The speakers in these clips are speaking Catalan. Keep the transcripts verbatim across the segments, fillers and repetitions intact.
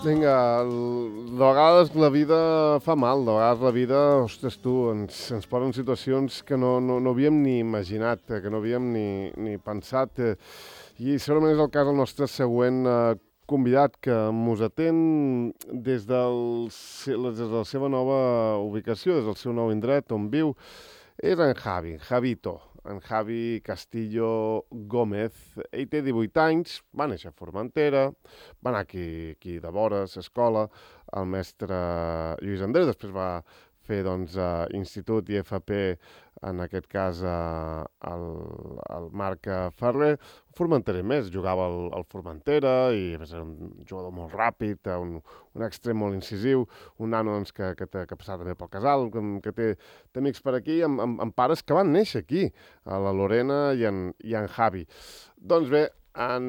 Vinga, de vegades la vida fa mal, de vegades la vida, ostres tu, ens, ens posa en situacions que no, no, no havíem ni imaginat, que no havíem ni, ni pensat. I segurament és el cas del nostre següent eh, convidat, que mos atén des, del, des de la seva nova ubicació, des del seu nou indret on viu. És en Javi, Javito, en Javi Castillo Gómez. Ell té divuit anys, va néixer a Formentera, va anar aquí, aquí de vores, a escola, el mestre Lluís Andrés, després va fer doncs, uh, institut i F P, en aquest cas uh, el, el Marc Ferrer. Formenterer més, jugava al, al Formentera i a més era un jugador molt ràpid, un, un extrem molt incisiu, un nano doncs, que, que, que passava també pel casal, que, que té, té amics per aquí, amb, amb, amb pares que van néixer aquí, a la Lorena i en, i en Javi. Doncs bé, en,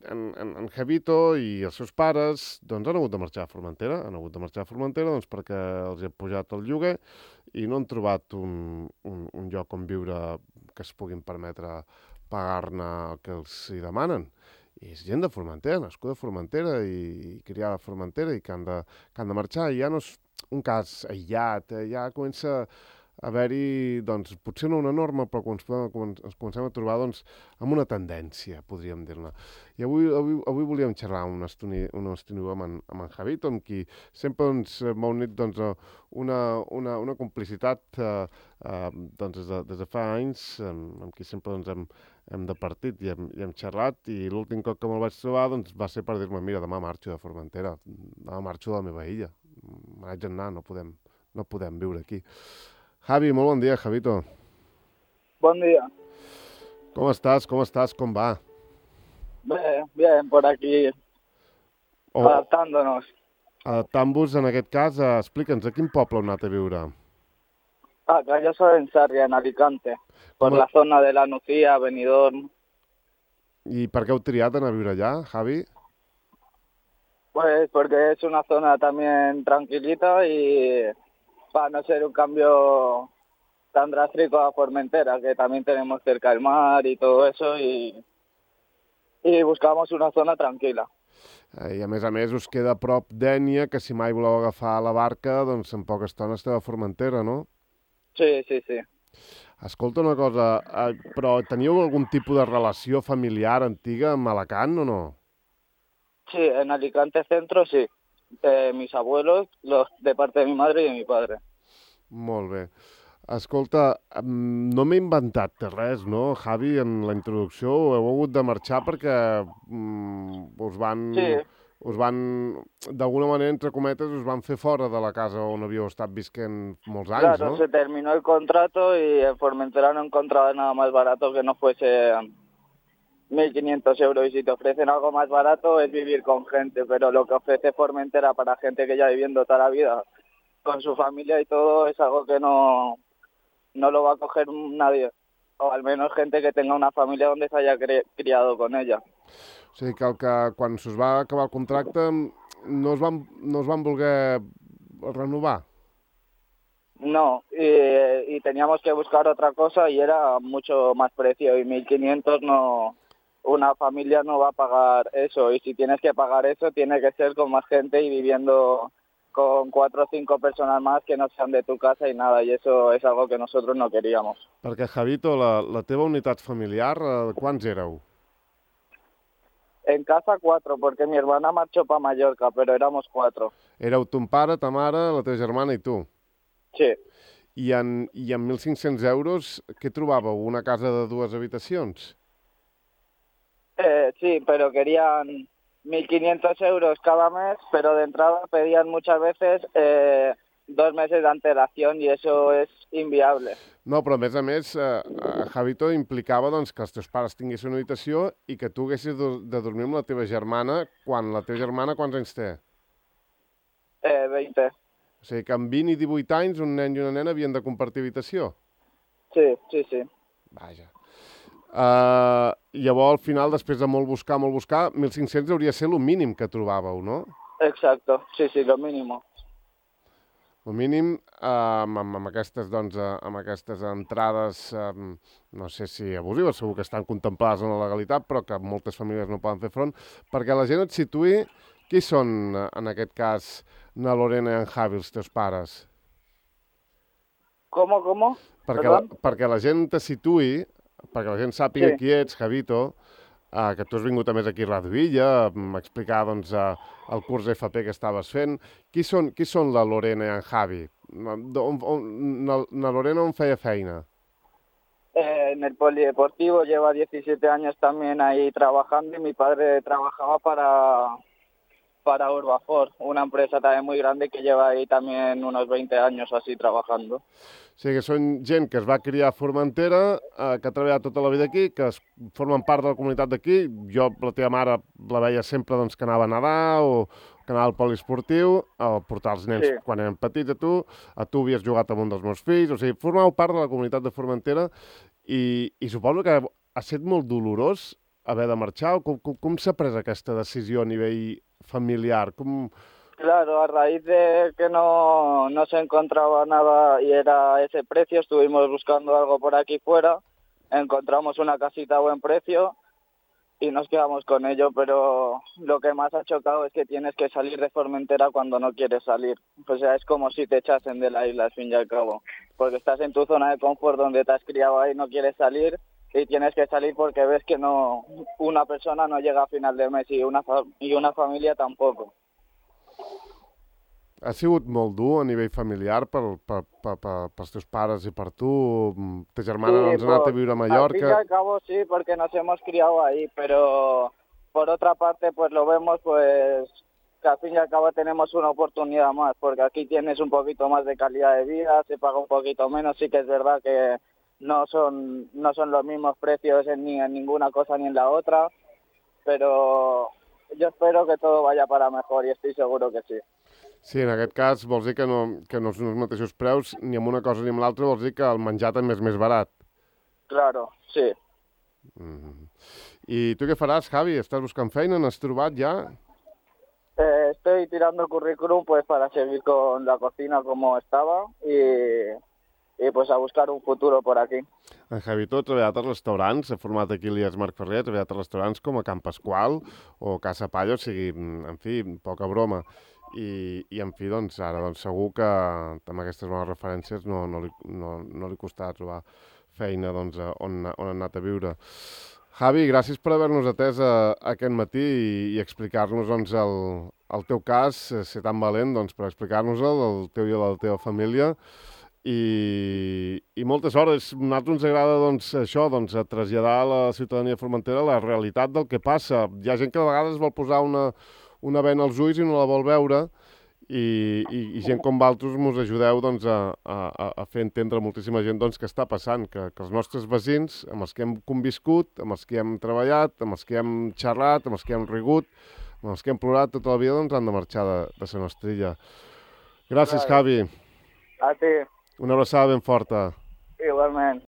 en, en, en Javito i els seus pares doncs, han hagut de marxar a Formentera, han hagut de marxar a Formentera doncs, perquè els ha pujat el lloguer i no han trobat un, un, un lloc on viure que es puguin permetre pagar-ne el que els hi demanen. I és gent de Formentera, nascuda a Formentera i criada a Formentera i que han de, que han de marxar. I ja no és un cas aïllat, eh? Ja comença a haver-hi, doncs, potser no una norma, però quan ens comencem a trobar doncs, amb una tendència, podríem dir-ne. I avui, avui, avui volíem xerrar una estona, una estona amb, en, amb en Javito, amb qui sempre doncs, m'ha unit doncs, una, una, una complicitat eh, eh, doncs, des, de, des de fa anys, amb, amb qui sempre doncs, hem, hem departit i hem, i hem xerrat, i l'últim cop que me'l vaig trobar doncs, va ser per dir-me, mira, demà marxo de Formentera, demà marxo de la meva illa, me n'haig d'anar, no podem, no podem viure aquí. Javi, molt bon dia, Javito. Bon dia. Com estàs? Com estàs? Com va? Bé, bien, por aquí, oh. adaptándonos. Adaptant-vos, en aquest cas, a... explica'ns, a quin poble heu anat a viure? Ah, que yo soy en Sarria, en Alicante, por la zona de la Nucía, Benidorm. I per què heu triat anar a viure allà, Javi? Pues porque es una zona también tranquilita y para no ser un cambio tan drástico a Formentera, que también tenemos cerca el mar y todo eso, y, y buscamos una zona tranquila. I a més a més us queda a prop d'Ènia, que si mai voleu agafar la barca, doncs en poca estona esteu a Formentera, no? Sí, sí, sí. Escolta una cosa, però teníeu algun tipus de relació familiar antiga amb Alacant o no? Sí, en Alicante Centro sí. Eh, mis abuelos, los de parte de mi madre y de mi padre. Molt bé. Escolta, no m'he inventat res, no, Javi, en la introducció? Heu hagut de marxar perquè mm, us van... Sí. Us van, d'alguna manera, entre cometes, us van fer fora de la casa on havíeu estat visquent molts anys, claro, ¿no? Se terminó el contrato y en Formentera no encontraba nada más barato que no fuese mil quinientos euros, y si te ofrecen algo más barato es vivir con gente, pero lo que ofrece Formentera para gente que ya viviendo toda la vida con su familia y todo es algo que no, no lo va a coger nadie, o al menos gente que tenga una familia donde se haya cri criado con ella. O sigui que, el que quan s'us va acabar el contracte no es van, no es van voler renovar. No, y, y teníamos que buscar otra cosa y era mucho más precio, y mil quinientos no, una familia no va a pagar eso, y si tienes que pagar eso tiene que ser con más gente y viviendo con cuatro o cinco personas más que no sean de tu casa y nada, y eso es algo que nosotros no queríamos. Perquè, Javito, la, la teva unitat familiar, eh, quants éreu? En casa cuatro, porque mi hermana marchó para Mallorca, pero éramos cuatro. Éreu ton pare, ta mare, la teva germana i tu? Sí. I en, i en mil cinc-cents euros, què trobàveu? Una casa de dues habitacions? Eh, sí, pero querían mil quinientos euros cada mes, pero de entrada pedían muchas veces eh, dos meses de antelación y eso es inviable. No, però a més a més, eh, Javito implicava doncs, que els teus pares tinguessin una habitació i que tu haguessis de, de dormir amb la teva germana, quan la teva germana quants anys té? Eh, veinte. O sigui que amb vint i divuit anys un nen i una nena havien de compartir habitació? Sí, sí, sí. Vaja. Uh, llavors, al final, després de molt buscar, molt buscar, mil cinc-cents hauria de ser el mínim que trobàveu, no? Exacto, sí, sí, lo mínimo. El mínim, eh, amb, amb, aquestes, doncs, eh, amb aquestes entrades, eh, no sé si abusives, segur que estan contemplades en la legalitat, però que moltes famílies no poden fer front, perquè la gent et situï Qui són, en aquest cas, na Lorena i en Javi, els teus pares? Com, com? Perquè la, perquè la gent te situï, perquè la gent sàpiga Sí. qui ets, Javito, eh, que tu has vingut a més aquí a Ràdio Illa, a explicar doncs, eh, el curs F P que estaves fent. Qui són, qui són la Lorena i en Javi? On, on, na, na Lorena on feia feina? Eh, en el polideportivo lleva diecisiete años también ahí trabajando y mi padre trabajaba para, para Urbafor, una empresa también muy grande que lleva ahí también unos veinte años así trabajando. O sigui que són gent que es va criar a Formentera, eh, que ha treballat tota la vida aquí, que es formen part de la comunitat d'aquí. Jo, la teva mare, la veia sempre doncs, que anava a nedar o que anava al poliesportiu, a portar els nens Sí. quan eren petits a tu. A tu havies jugat amb un dels meus fills. O sigui, formàveu part de la comunitat de Formentera i, i suposo que ha estat molt dolorós haver de marxar. Com, com, com s'ha pres aquesta decisió a nivell familiar? Com... Claro, a raíz de que no, no se encontraba nada y era ese precio, estuvimos buscando algo por aquí fuera, encontramos una casita a buen precio y nos quedamos con ello, pero lo que más ha chocado es que tienes que salir de Formentera cuando no quieres salir. O sea, es como si te echasen de la isla al fin y al cabo, porque estás en tu zona de confort donde te has criado ahí, no quieres salir y tienes que salir porque ves que no una persona no llega a final de mes y una, fa- y una familia tampoco. Ha sigut molt dur a nivell familiar per, per, per, per, pels teus pares i per tu? Ta germana doncs, ha anat a viure a Al fin y Mallorca. al cabo sí, porque nos hemos criado ahí, pero por otra parte pues lo vemos pues que al fin y al cabo tenemos una oportunidad más, porque aquí tienes un poquito más de calidad de vida, se paga un poquito menos, sí que es verdad que no son no son los mismos precios en, ni en ninguna cosa ni en la otra, pero yo espero que todo vaya para mejor y estoy seguro que sí. Sí, en aquest cas vols dir que no, que no són els mateixos preus ni amb una cosa ni amb l'altra, vols dir que el menjar també és més barat. Claro, sí. Mm. I tu què faràs, Javi? Estàs buscant feina? N'has trobat ja? Eh, estoy tirando el currículum pues para seguir con la cocina como estaba y, y pues a buscar un futuro por aquí. En Javito ha treballat als restaurants, ha format aquí l'I E S Marc Ferrer, ha treballat a restaurants com a Can Pasqual o Casa Palla, o sigui, en fi, poca broma. I, i en fi, doncs, ara doncs, segur que amb aquestes bones referències no, no, li, no, no li costarà trobar feina doncs, on, on ha anat a viure. Javi, gràcies per haver-nos atès a, a aquest matí i, i explicar-nos doncs, el, el teu cas, ser tan valent doncs, per explicar-nos-el, el teu i el de la teva família. I, i moltes hores. A nosaltres ens agrada doncs, això, doncs, a traslladar a la ciutadania de Formentera la realitat del que passa. Hi ha gent que a vegades vol posar una, una bena als ulls i no la vol veure i, i, i gent com vosaltres mos ajudeu doncs, a, a, a fer entendre a moltíssima gent doncs, què està passant, que, que els nostres veïns, amb els que hem conviscut, amb els que hem treballat, amb els que hem xerrat, amb els que hem rigut, amb els que hem plorat tota la vida, doncs han de marxar de, de la nostra illa. Gràcies, Claro. Javi. A ti, Una abraçada ben forta. igualmente.